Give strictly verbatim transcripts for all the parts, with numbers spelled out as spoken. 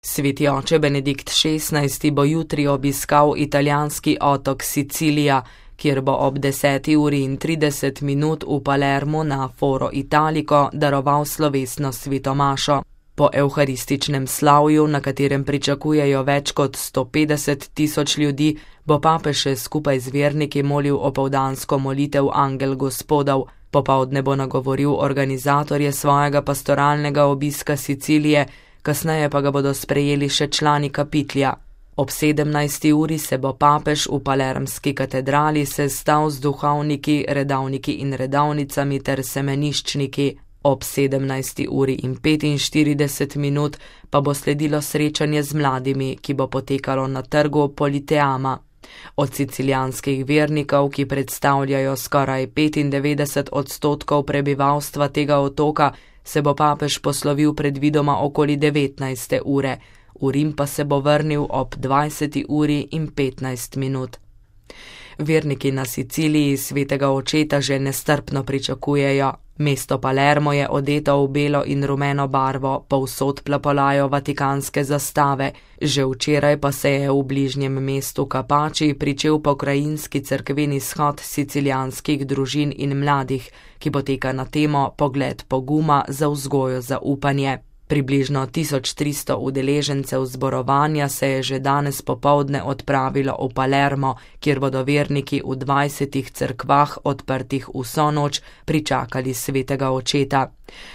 Sveti oče Benedikt šestnajsti bo jutri obiskal italijanski otok Sicilija, kjer bo ob deseti uri in trideset minut v Palermu na Foro Italico daroval slovesno svetomašo. Po evharističnem slavju, na katerem pričakujejo več kot sto petdeset tisoč ljudi, bo papež še skupaj z verniki molil opoldansko molitev Angel Gospodov. Popoldne bo nagovoril organizatorje svojega pastoralnega obiska Sicilije, kasneje pa ga bodo sprejeli še člani kapitlja. Ob sedemnajsti uri se bo papež v palermski katedrali sestal z duhovniki, redavniki in redavnicami ter semeniščniki. Ob sedemnajsti uri in petinštirideset minut pa bo sledilo srečanje z mladimi, ki bo potekalo na trgu Politeama. Od sicilijanskih vernikov, ki predstavljajo skoraj petindevetdeset odstotkov prebivalstva tega otoka, se bo papež poslovil predvidoma okoli devetnajste ure, v Rim pa se bo vrnil ob dvajseti uri in petnajst minut. Verniki na Siciliji svetega očeta že nestrpno pričakujejo. Mesto Palermo je odeto v belo in rumeno barvo, povsod plapolajo vatikanske zastave. Že včeraj pa se je v bližnjem mestu Capaci pričel pokrajinski cerkveni shod sicilijanskih družin in mladih, ki poteka na temo Pogled poguma za vzgojo zaupanje. Približno tisoč tristo udeležencev zborovanja se je že danes popoldne odpravilo v Palermo, kjer bodo verniki v dvajsetih cerkvah odprtih vso noč pričakali svetega očeta.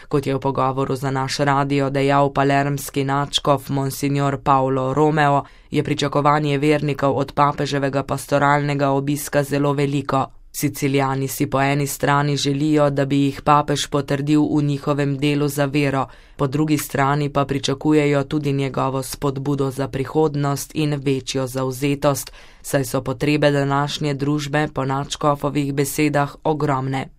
Kot je v pogovoru za naš radio dejal palermski nadškof monsignor Paolo Romeo, je pričakovanje vernikov od papeževega pastoralnega obiska zelo veliko. Sicilijani si po eni strani želijo, da bi jih papež potrdil v njihovem delu za vero, po drugi strani pa pričakujejo tudi njegovo spodbudo za prihodnost in večjo zavzetost, saj so potrebe današnje družbe po nadškofovih besedah ogromne.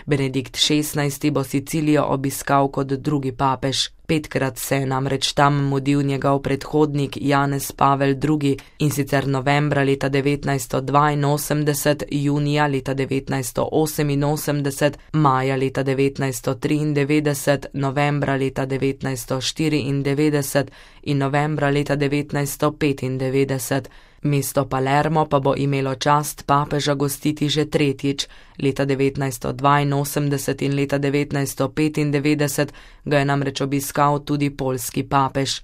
Benedikt šestnajsti bo Sicilijo obiskal kot drugi papež. Petkrat se je namreč tam mudil njegov predhodnik Janez Pavel drugi, in sicer novembra leta devetnajststo dvainosemdeset, junija leta devetnajststo oseminosemdeset, maja leta devetnajststo triindevetdeset, novembra leta devetnajststo štiriindevetdeset in novembra leta devetnajststo petindevetdeset. Mesto Palermo pa bo imelo čast papeža gostiti že tretjič. Leta devetnajststo dvainosemdeset in leta devetnajststo petindevetdeset ga je namreč obiskal tudi poljski papež.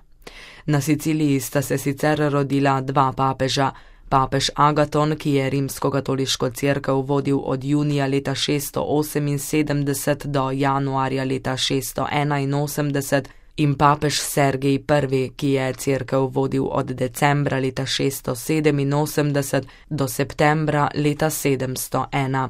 Na Siciliji sta se sicer rodila dva papeža. Papež Agaton, ki je rimskokatoliško cerkev vodil od junija leta šeststo oseminsedemdeset do januarja leta šeststo enainosemdeset, in papež Sergij prvi, ki je cerkev vodil od decembra leta šeststo sedeminosemdeset do septembra leta sedemsto ena.